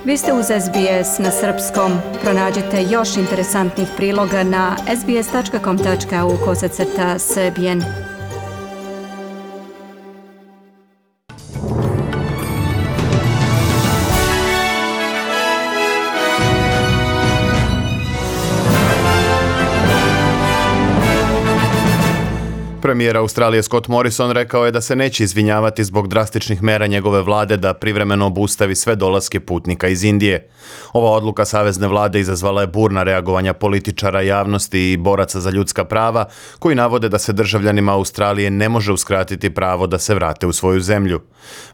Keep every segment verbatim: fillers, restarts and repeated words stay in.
Vi ste uz S B S na srpskom. Pronađite još interesantnih priloga na sbs.com.au kosacrta srbijen. Premijer Australije Scott Morrison rekao je da se neće izvinjavati zbog drastičnih mera njegove vlade da privremeno obustavi sve dolaske putnika iz Indije. Ova odluka savezne vlade izazvala je burna reagovanja političara, javnosti i boraca za ljudska prava, koji navode da se državljanima Australije ne može uskratiti pravo da se vrate u svoju zemlju.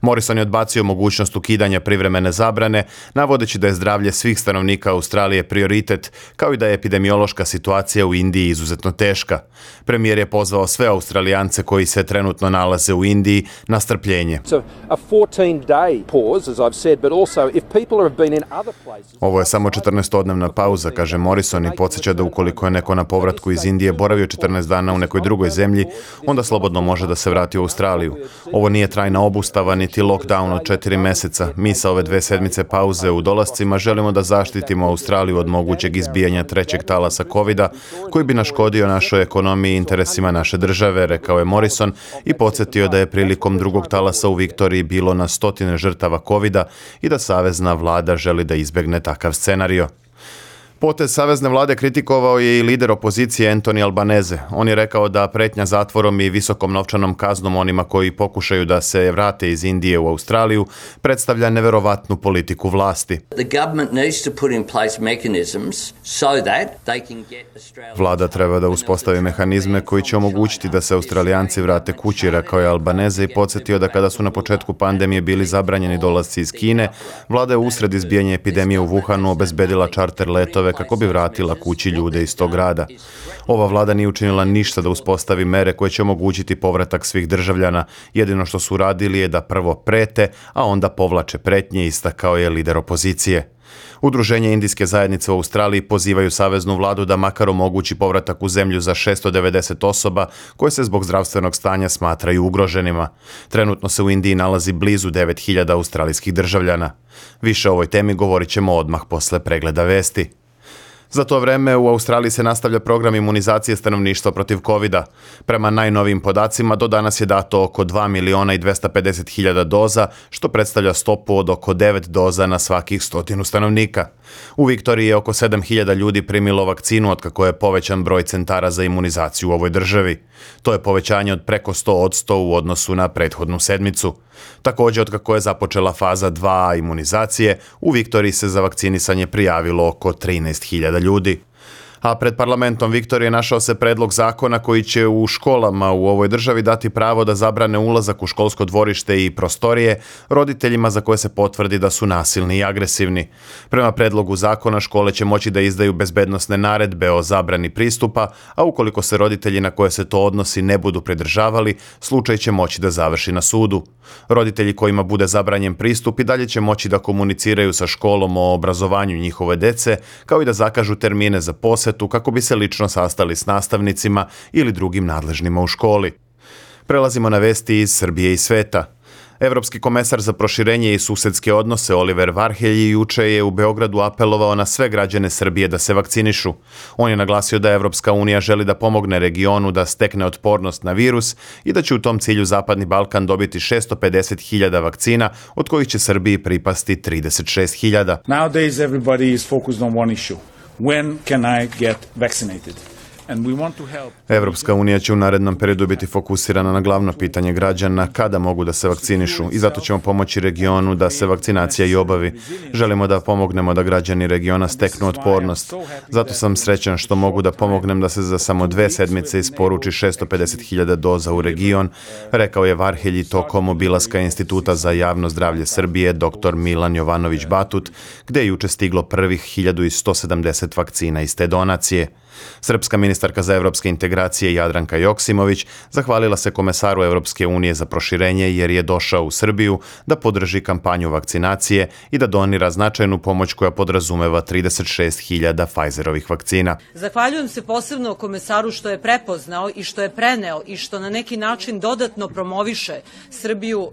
Morrison je odbacio mogućnost ukidanja privremene zabrane, navodeći da je zdravlje svih stanovnika Australije prioritet, kao i da je epidemiološka situacija u Indiji izuzetno teška. Premijer je pozvao sve Australijance koji se trenutno nalaze u Indiji na strpljenje. Ovo je samo četrnaestodnevna pauza, kaže Morrison, i podsjeća da ukoliko je neko na povratku iz Indije boravio četrnaest dana u nekoj drugoj zemlji, onda slobodno može da se vrati u Australiju. Ovo nije trajna obustava niti lockdown od četiri meseca. Mi sa ove dve sedmice pauze u dolascima želimo da zaštitimo Australiju od mogućeg izbijanja trećeg talasa kovida koji bi naškodio našoj ekonomiji i interesima naše države, rekao je Morrison i podsjetio da je prilikom drugog talasa u Viktoriji bilo na stotine žrtava kovida i da savezna vlada želi da izbjegne takav scenario. Potez savezne vlade kritikovao je i lider opozicije Anthony Albanese. On je rekao da pretnja zatvorom i visokom novčanom kaznom onima koji pokušaju da se vrate iz Indije u Australiju predstavlja neverovatnu politiku vlasti. Vlada treba da uspostavi mehanizme koji će omogućiti da se Australijanci vrate kući, rekao je Albanese i podsjetio da kada su na početku pandemije bili zabranjeni dolasci iz Kine, vlada je usred izbijanja epidemije u Wuhanu obezbedila čarter letove kako bi vratila kući ljude iz tog grada. Ova vlada nije učinila ništa da uspostavi mere koje će omogućiti povratak svih državljana. Jedino što su radili je da prvo prete, a onda povlače pretnje, istakao je lider opozicije. Udruženje indijske zajednice u Australiji pozivaju saveznu vladu da makar omogući povratak u zemlju za šesto devedeset osoba koje se zbog zdravstvenog stanja smatraju ugroženima. Trenutno se u Indiji nalazi blizu devet hiljada australijskih državljana. Više o ovoj temi govorit ćemo odmah posle pregleda vesti. Za to vreme u Australiji se nastavlja program imunizacije stanovništva protiv kovida. Prema najnovijim podacima do danas je dato oko dva miliona i dvesta pedeset hiljada doza, što predstavlja stopu od oko devet doza na svakih stotinu stanovnika. U Viktoriji je oko sedam hiljada ljudi primilo vakcinu otkako je povećan broj centara za imunizaciju u ovoj državi. To je povećanje od preko sto posto u odnosu na prethodnu sedmicu. Također, otkako je započela faza dva imunizacije, u Viktoriji se za vakcinisanje prijavilo oko trinaest hiljada ljudi. A pred parlamentom Viktorije našao se predlog zakona koji će u školama u ovoj državi dati pravo da zabrane ulazak u školsko dvorište i prostorije roditeljima za koje se potvrdi da su nasilni i agresivni. Prema predlogu zakona škole će moći da izdaju bezbednosne naredbe o zabrani pristupa, a ukoliko se roditelji na koje se to odnosi ne budu pridržavali, slučaj će moći da završi na sudu. Roditelji kojima bude zabranjen pristup i dalje će moći da komuniciraju sa školom o obrazovanju njihove dece, kao i da zakažu termine za posjetu kako bi se lično sastali s nastavnicima ili drugim nadležnima u školi. Prelazimo na vesti iz Srbije i sveta. Evropski komesar za proširenje i susedske odnose Oliver Varhelji juče je u Beogradu apelovao na sve građane Srbije da se vakcinišu. On je naglasio da Evropska unija želi da pomogne regionu da stekne otpornost na virus i da će u tom cilju Zapadni Balkan dobiti šesto pedeset hiljada vakcina, od kojih će Srbiji pripasti trideset šest hiljada. Nowadays everybody is focused on one issue. When can I get vaccinated? Evropska unija će u narednom periodu biti fokusirana na glavno pitanje građana kada mogu da se vakcinišu i zato ćemo pomoći regionu da se vakcinacija i obavi. Želimo da pomognemo da građani regiona steknu otpornost. Zato sam srećan što mogu da pomognem da se za samo dve sedmice isporuči šesto pedeset hiljada doza u region, rekao je Varhelji tokom obilaska Instituta za javno zdravlje Srbije dr Milan Jovanović Batut, gde je juče stiglo prvih hiljadu sto sedamdeset vakcina iz te donacije. Srpska ministarka za evropske integracije Jadranka Joksimović zahvalila se komesaru Evropske unije za proširenje jer je došao u Srbiju da podrži kampanju vakcinacije i da donira značajnu pomoć koja podrazumeva trideset šest hiljada Pfizerovih vakcina. Zahvaljujem se posebno komesaru što je prepoznao i što je preneo i što na neki način dodatno promoviše Srbiju uh,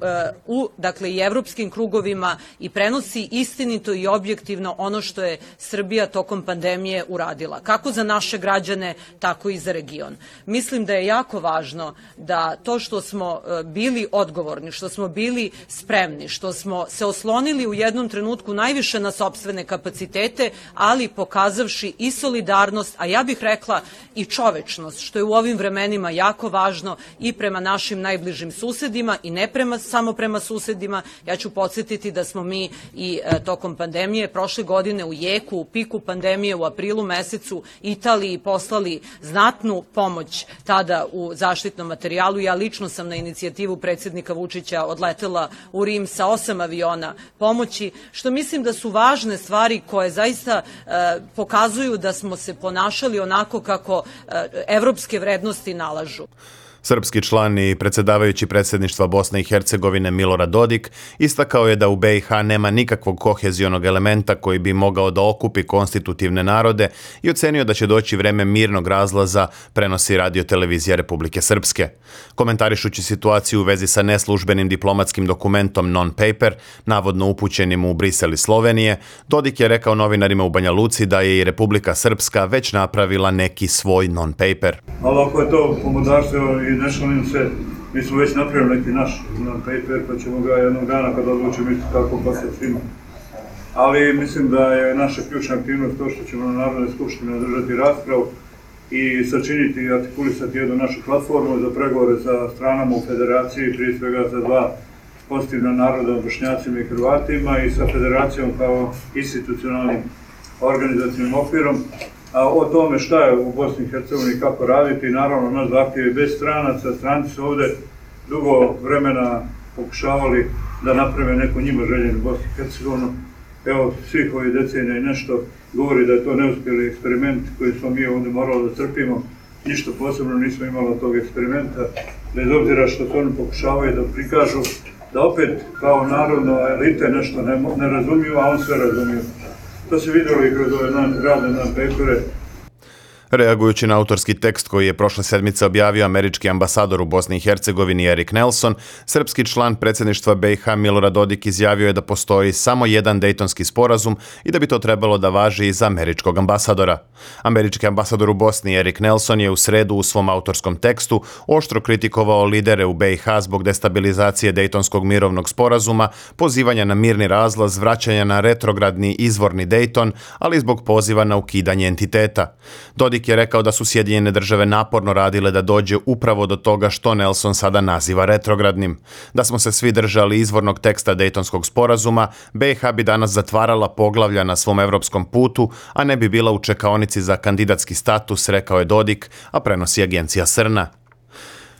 u dakle i evropskim krugovima i prenosi istinito i objektivno ono što je Srbija tokom pandemije uradila, kako za naše građane, tako i za region. Mislim da je jako važno da to što smo uh, bili odgovorni, što smo bili spremni, što smo se oslonili u jednom trenutku najviše na sopstvene kapacitete, ali pokazavši i solidarnost, a ja bih rekla i čovečnost, što je u ovim vremenima jako važno i prema našim najbližim susedima i ne prema, samo prema susedima. Ja ću podsjetiti da smo mi i e, tokom pandemije prošle godine u jeku, u piku pandemije u aprilu mesecu Italiji poslali znatnu pomoć tada u zaštitnom materijalu. Ja lično sam na inicijativu predsjednika Vučića odletela u Rim sa osam aviona pomoći, što mislim da su važne stvari koje zaista e, pokazuju da smo se ponašali onako kako e, evropske vrednosti nalažu. Srpski član i predsjedavajući predsjedništva Bosne i Hercegovine Milorad Dodik istakao je da u be i ha nema nikakvog kohezionog elementa koji bi mogao da okupi konstitutivne narode i ocenio da će doći vreme mirnog razlaza, prenosi radiotelevizija Republike Srpske. Komentarišući situaciju u vezi sa neslužbenim diplomatskim dokumentom non-paper, navodno upućenim u Brisel i Slovenije, Dodik je rekao novinarima u Banja Luci da je i Republika Srpska već napravila neki svoj non-paper. Ali ako je to pomodarstvo i ne šalim se, mi smo već napravili neki naš non-paper, pa ćemo ga jednog dana kada odlučimo isto tako poslati svima. Ali mislim da je naša ključna aktivnost to što ćemo na Narodnoj skupštini održati raspravu i sačiniti i artikulisati jednu našu platformu za pregovore sa stranama u federaciji, prije svega za dva pozitivna naroda, Bošnjacima i Hrvatima, i sa federacijom kao institucionalnim organizacijnim okvirom. A o tome šta je u Bosni i Hercegovini, kako raditi, naravno naš zahtjev je bez stranaca. Stranci su ovde dugo vremena pokušavali da naprave neku njima željenu Bosnu i Hercegovinu. Evo, svih ovih decenija i nešto govori da je to neuspjeli eksperiment koji smo mi ovdje morali da trpimo. Ništa posebno nismo imali od tog eksperimenta, bez obzira što to oni pokušavaju da prikažu, da opet kao narodno elite nešto ne, ne razumiju, a on sve razumiju. To se vidjelo i kroz ove radne non-papere. Reagujući na autorski tekst koji je prošle sedmice objavio američki ambasador u Bosni i Hercegovini Erik Nelson, srpski član predsjedništva be i ha Milorad Dodik izjavio je da postoji samo jedan Dejtonski sporazum i da bi to trebalo da važi i za američkog ambasadora. Američki ambasador u Bosni Erik Nelson je u sredu u svom autorskom tekstu oštro kritikovao lidere u be i ha zbog destabilizacije Dejtonskog mirovnog sporazuma, pozivanja na mirni razlaz, vraćanja na retrogradni izvorni Dejton, ali zbog poziva na ukidanje entiteta. Dodik je rekao da su Sjedinjene države naporno radile da dođe upravo do toga što Nelson sada naziva retrogradnim. Da smo se svi držali izvornog teksta Dejtonskog sporazuma, be i ha bi danas zatvarala poglavlja na svom evropskom putu, a ne bi bila u čekaonici za kandidatski status, rekao je Dodik, a prenosi agencija Srna.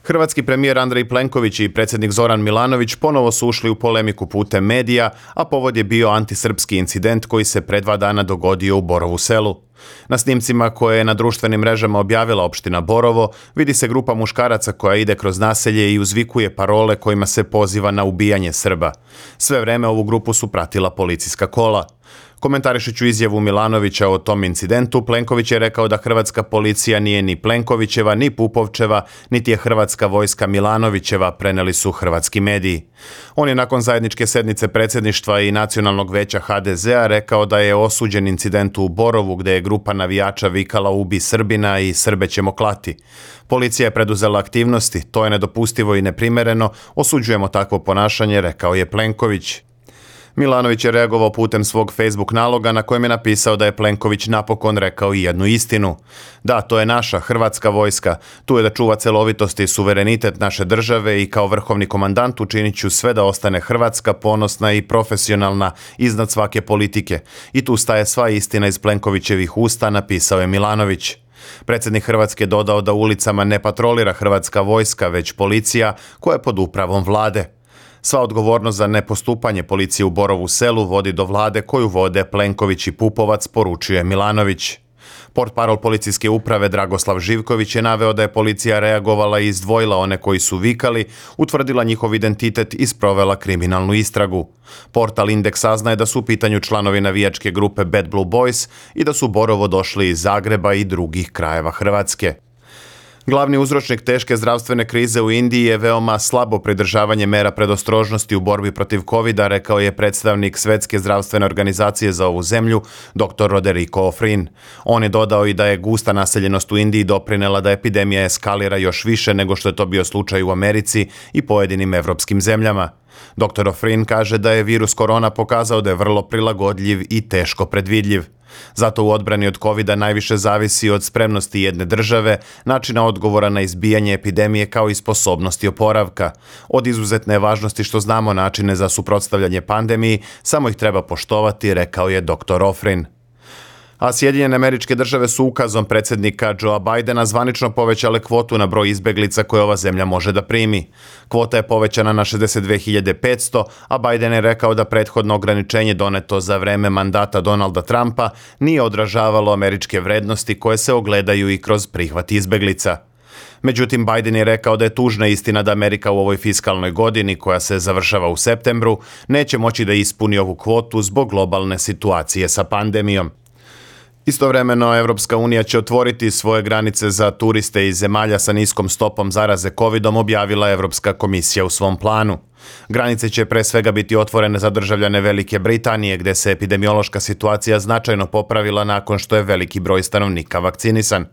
Hrvatski premijer Andrej Plenković i predsjednik Zoran Milanović ponovo su ušli u polemiku putem medija, a povod je bio antisrpski incident koji se pre dva dana dogodio u Borovu Selu. Na snimcima koje je na društvenim mrežama objavila opština Borovo, vidi se grupa muškaraca koja ide kroz naselje i uzvikuje parole kojima se poziva na ubijanje Srba. Sve vreme ovu grupu su pratila policijska kola. Komentarišući izjavu Milanovića o tom incidentu, Plenković je rekao da hrvatska policija nije ni Plenkovićeva, ni Pupovčeva, niti je hrvatska vojska Milanovićeva, preneli su hrvatski mediji. On je nakon zajedničke sednice predsjedništva i nacionalnog veća ha de zea rekao da je osuđen incidentu u Borovu gde je grupa navijača vikala ubi Srbina i Srbe ćemo klati. Policija je preduzela aktivnosti, to je nedopustivo i neprimereno, osuđujemo takvo ponašanje, rekao je Plenković. Milanović je reagovao putem svog Facebook naloga na kojem je napisao da je Plenković napokon rekao i jednu istinu. Da, to je naša hrvatska vojska, tu je da čuva celovitost i suverenitet naše države i kao vrhovni komandant učinit ću sve da ostane Hrvatska ponosna i profesionalna iznad svake politike. I tu staje sva istina iz Plenkovićevih usta, napisao je Milanović. Predsjednik Hrvatske dodao da ulicama ne patrolira hrvatska vojska, već policija koja je pod upravom vlade. Sva odgovornost za nepostupanje policije u Borovu Selu vodi do vlade koju vode Plenković i Pupovac, poručuje Milanović. Portparol policijske uprave Dragoslav Živković je naveo da je policija reagovala i izdvojila one koji su vikali, utvrdila njihov identitet i sprovela kriminalnu istragu. Portal Indeks saznaje da su u pitanju članovi navijačke grupe Bad Blue Boys i da su Borovo došli iz Zagreba i drugih krajeva Hrvatske. Glavni uzročnik teške zdravstvene krize u Indiji je veoma slabo pridržavanje mera predostrožnosti u borbi protiv kovida, rekao je predstavnik Svetske zdravstvene organizacije za ovu zemlju, doktor Roderico Ofrin. On je dodao i da je gusta naseljenost u Indiji doprinela da epidemija eskalira još više nego što je to bio slučaj u Americi i pojedinim evropskim zemljama. doktor Ofrin kaže da je virus korona pokazao da je vrlo prilagodljiv i teško predvidljiv. Zato u odbrani od kovida najviše zavisi od spremnosti jedne države, načina odgovora na izbijanje epidemije kao i sposobnosti oporavka. Od izuzetne važnosti što znamo načine za suprotstavljanje pandemiji, samo ih treba poštovati, rekao je doktor Ofrin. A Sjedinjene Američke Države su ukazom predsjednika Joea Bidena zvanično povećale kvotu na broj izbeglica koje ova zemlja može da primi. Kvota je povećana na šezdeset dve hiljade petsto, a Biden je rekao da prethodno ograničenje doneto za vreme mandata Donalda Trumpa nije odražavalo američke vrednosti koje se ogledaju i kroz prihvat izbeglica. Međutim, Biden je rekao da je tužna istina da Amerika u ovoj fiskalnoj godini, koja se završava u septembru, neće moći da ispuni ovu kvotu zbog globalne situacije sa pandemijom. Istovremeno, Evropska unija će otvoriti svoje granice za turiste iz zemalja sa niskom stopom zaraze kovidom, objavila Evropska komisija u svom planu. Granice će pre svega biti otvorene za državljane Velike Britanije, gde se epidemiološka situacija značajno popravila nakon što je veliki broj stanovnika vakcinisan.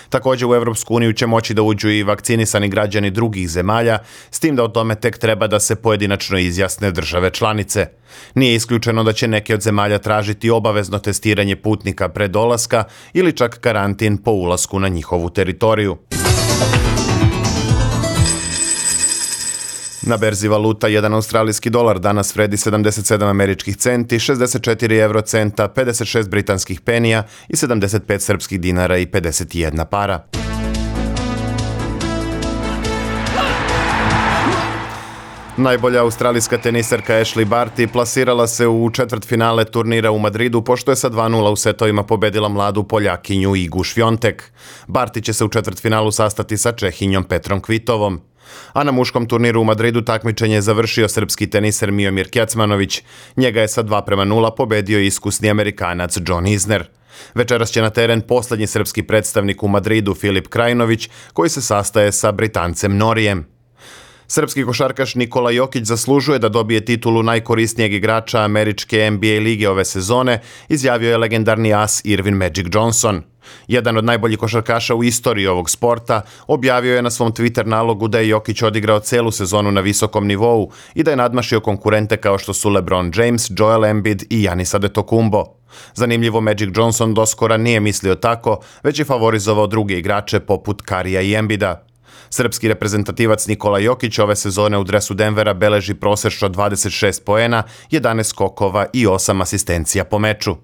Također u Evropsku uniju će moći da uđu i vakcinisani građani drugih zemalja, s tim da o tome tek treba da se pojedinačno izjasne države članice. Nije isključeno da će neke od zemalja tražiti obavezno testiranje putnika pre dolaska ili čak karantin po ulasku na njihovu teritoriju. Na berzi valuta jedan australijski dolar danas vredi sedamdeset sedam američkih centi, šezdeset četiri eurocenta, pedeset šest britanskih penija i sedamdeset pet srpskih dinara i pedeset jedna para. Najbolja australijska tenisarka Ashley Barty plasirala se u četvrtfinale turnira u Madridu pošto je sa dva nula u setovima pobedila mladu Poljakinju Igu Švjontek. Barty će se u četvrtfinalu sastati sa Čehinjom Petrom Kvitovom. A na muškom turniru u Madridu takmičenje je završio srpski teniser Miomir Kecmanović. Njega je sa dva prema nula pobedio iskusni Amerikanac John Isner. Večeras će na teren posljednji srpski predstavnik u Madridu Filip Krajinović, koji se sastaje sa Britancem Norijem. Srpski košarkaš Nikola Jokić zaslužuje da dobije titulu najkorisnijeg igrača američke N B A lige ove sezone, izjavio je legendarni as Irvin Magic Johnson. Jedan od najboljih košarkaša u istoriji ovog sporta objavio je na svom Twitter nalogu da je Jokić odigrao celu sezonu na visokom nivou i da je nadmašio konkurente kao što su LeBron James, Joel Embiid i Giannis Antetokounmpo. Zanimljivo, Magic Johnson doskora nije mislio tako, već je favorizovao druge igrače poput Karija i Embida. Srpski reprezentativac Nikola Jokić ove sezone u dresu Denvera beleži prosečno dvadeset šest poena, jedanaest skokova i osam asistencija po meču.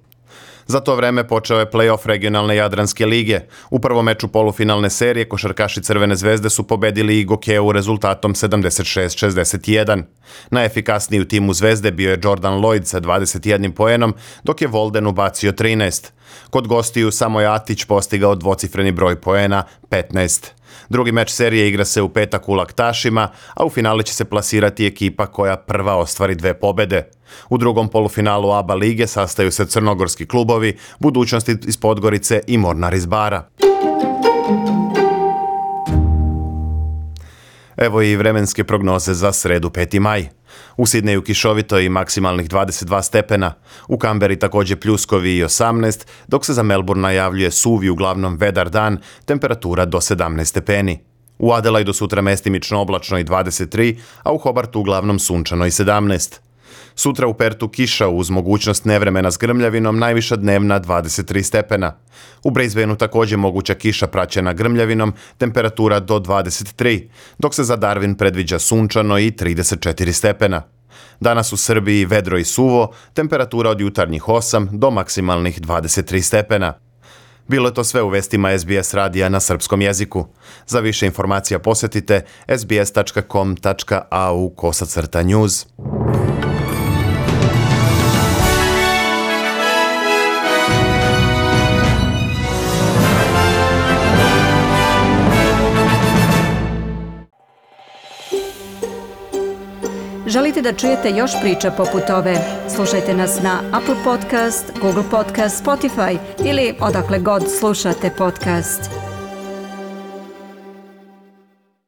Za to vreme počeo je play-off regionalne Jadranske lige. U prvom meču polufinalne serije košarkaši Crvene zvezde su pobedili i Gokeu rezultatom sedamdeset šest šezdeset jedan. Najefikasniji u timu Zvezde bio je Jordan Lloyd sa dvadeset jednim poenom, dok je Volden ubacio trinaest. Kod gostiju samo je Atić postigao dvocifreni broj poena, petnaest. Drugi meč serije igra se u petak u Laktašima, a u finale će se plasirati ekipa koja prva ostvari dve pobede. U drugom polufinalu A B A lige sastaju se crnogorski klubovi, Budućnosti iz Podgorice i Mornar iz Bara. Evo i vremenske prognoze za sredu peti maj. U Sidneju kišovito i maksimalnih dvadeset dva stepena, u Kamberi također pljuskovi i osamnaest, dok se za Melbourne najavljuje suvi uglavnom vedar dan, temperatura do sedamnaest stepeni. U Adelaidu sutra mestimično oblačno i dvadeset tri, a u Hobartu uglavnom sunčano i sedamnaest. Sutra u Pertu kiša uz mogućnost nevremena s grmljavinom, najviša dnevna dvadeset tri stepena. U Brisbaneu također moguća kiša praćena grmljavinom, temperatura do dvadeset tri, dok se za Darwin predviđa sunčano i trideset četiri stepena. Danas u Srbiji vedro i suvo, temperatura od jutarnjih osam do maksimalnih dvadeset tri stepena. Bilo je to sve u vestima S B S radija na srpskom jeziku. Za više informacija posjetite s b s tačka com tačka a u kosacrta news. Želite da čujete još priča poput ove? Slušajte nas na Apple Podcast, Google Podcast, Spotify ili odakle god slušate podcast.